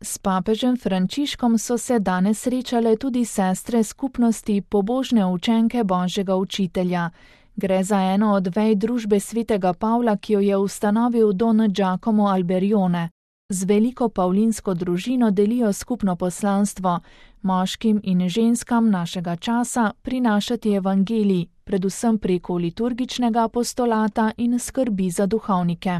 S papežem Frančiškom so se danes srečale tudi sestre skupnosti pobožne učenke Božjega učitelja. Gre za eno od vej družbe svetega Pavla, ki jo je ustanovil Don Giacomo Alberione. Z veliko pavlinsko družino delijo skupno poslanstvo, moškim in ženskam našega časa prinašati evangelij, predvsem preko liturgičnega apostolata in skrbi za duhovnike.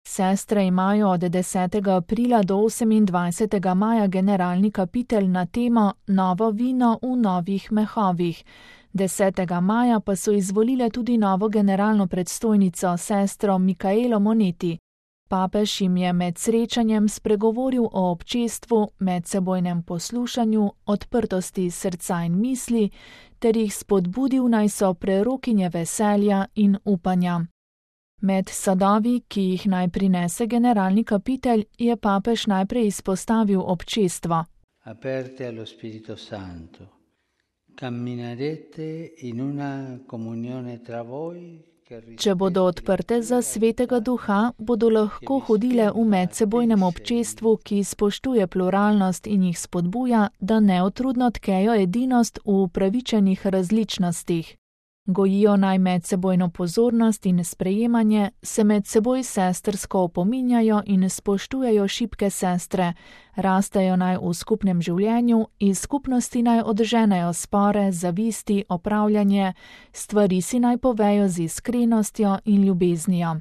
Sestre imajo od 10. aprila do 28. maja generalni kapitel na temo Novo vino v novih mehovih. 10. maja pa so izvolile tudi novo generalno predstojnico, sestro Michaelo Monetti. Papež jim je med srečanjem spregovoril o občestvu, medsebojnem poslušanju, odprtosti srca in misli, ter jih spodbudil, naj so prerokinje veselja in upanja. Med sadovi, ki jih naj prinese generalni kapitelj, je papež najprej izpostavil občestvo. Aperte allo Spirito Santo, camminerete in una comunione tra voi. Če bodo odprte za svetega duha, bodo lahko hodile v medsebojnem občestvu, ki spoštuje pluralnost in jih spodbuja, da neutrudno tkejo edinost v upravičenih različnostih. Gojijo naj medsebojno pozornost in sprejemanje, se med seboj sestrsko opominjajo in spoštujejo šibke sestre, rastejo naj v skupnem življenju, iz skupnosti naj odženejo spore, zavisti, opravljanje, stvari si naj povejo z iskrenostjo in ljubeznijo.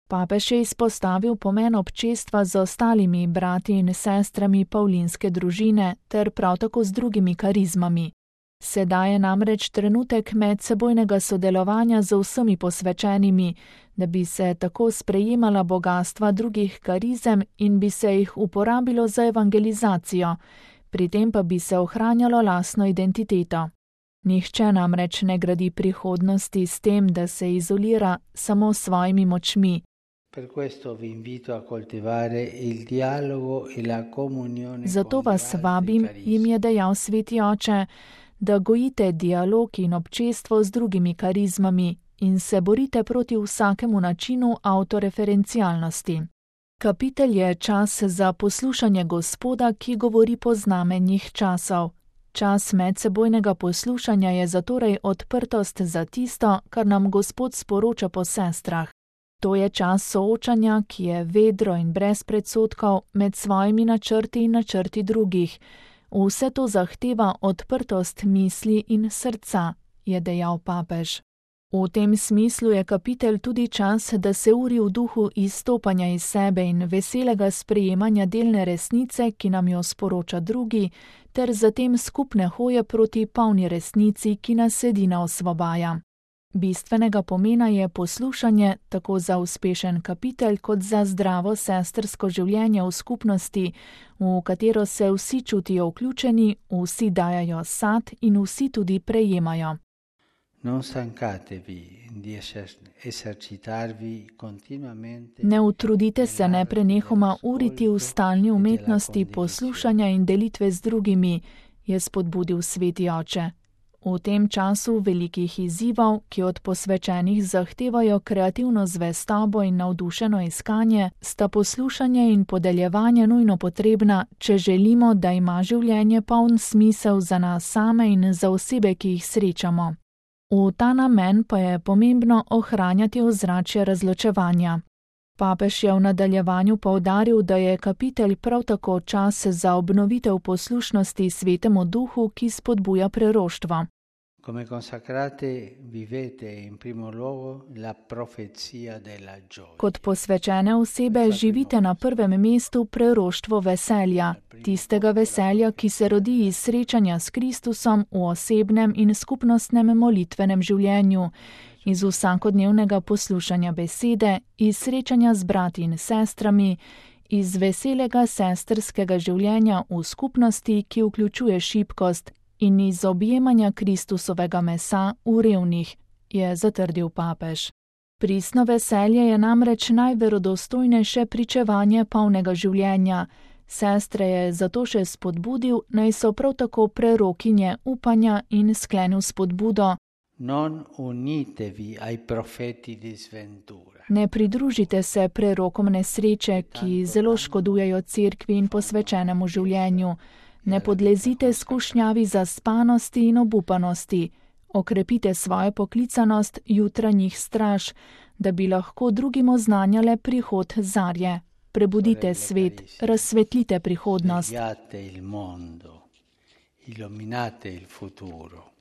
Papež je izpostavil pomen občestva z ostalimi brati in sestrami pavlinske družine ter prav tako z drugimi karizmami. Sedaj je namreč trenutek medsebojnega sodelovanja z vsemi posvečenimi, da bi se tako sprejemala bogastva drugih karizem in bi se jih uporabilo za evangelizacijo, pri tem pa bi se ohranjalo lastno identiteto. Nihče namreč ne gradi prihodnosti s tem, da se izolira samo s svojimi močmi. Zato vas vabim, jim je dejal sveti oče, da gojite dialog in občestvo z drugimi karizmami in se borite proti vsakemu načinu avtoreferencialnosti. Kapitelj je čas za poslušanje Gospoda, ki govori po znamenjih časov. Čas medsebojnega poslušanja je zatorej odprtost za tisto, kar nam Gospod sporoča po sestrah. To je čas soočanja, ki je vedro in brez predsodkov med svojimi načrti in načrti drugih. Vse to zahteva odprtost misli in srca, je dejal papež. V tem smislu je kapitelj tudi čas, da se uri v duhu izstopanja iz sebe in veselega sprejemanja delne resnice, ki nam jo sporoča drugi, ter zatem skupne hoje proti polni resnici, ki nas edina osvobaja. Bistvenega pomena je poslušanje tako za uspešen kapitelj kot za zdravo sestrsko življenje v skupnosti, v katero se vsi čutijo vključeni, vsi dajajo sad in vsi tudi prejemajo. Ne utrudite se neprenehoma uriti v stalni umetnosti poslušanja in delitve z drugimi, je spodbudil sveti oče. V tem času velikih izzivov, ki od posvečenih zahtevajo kreativno zvestobo in navdušeno iskanje, sta poslušanje in podeljevanje nujno potrebna, če želimo, da ima življenje poln smisel za nas same in za osebe, ki jih srečamo. V ta namen pa je pomembno ohranjati ozračje razločevanja. Papež je v nadaljevanju poudaril, da je kapitelj prav tako čas za obnovitev poslušnosti Svetemu Duhu, ki spodbuja preroštvo. Come consacrate vivete in primo luogo la profezia della gioia. Kot posvečene osebe živite na prvem mestu preroštvo veselja, tistega veselja, ki se rodi iz srečanja s Kristusom v osebnem in skupnostnem molitvenem življenju, iz vsakodnevnega poslušanja besede, iz srečanja z brati in sestrami, iz veselega sestrskega življenja v skupnosti, ki vključuje šibkost, in iz objemanja Kristusovega mesa v revnih, je zatrdil papež. Pristno veselje je namreč najverodostojnejše pričevanje polnega življenja. Sestre je zato še spodbudil, naj so prav tako prerokinje upanja in sklenil spodbudo. Non unitevi ai profeti di sventura. Ne pridružite se prerokom nesreče, ki zelo škodujejo cerkvi in posvečenemu življenju. Ne podlezite skušnjavi zaspanosti in obupanosti. Okrepite svojo poklicanost jutranjih straž, da bi lahko drugim oznanjale prihod zarje. Prebudite svet, razsvetlite prihodnost. Svegliate il mondo, illuminate il futuro.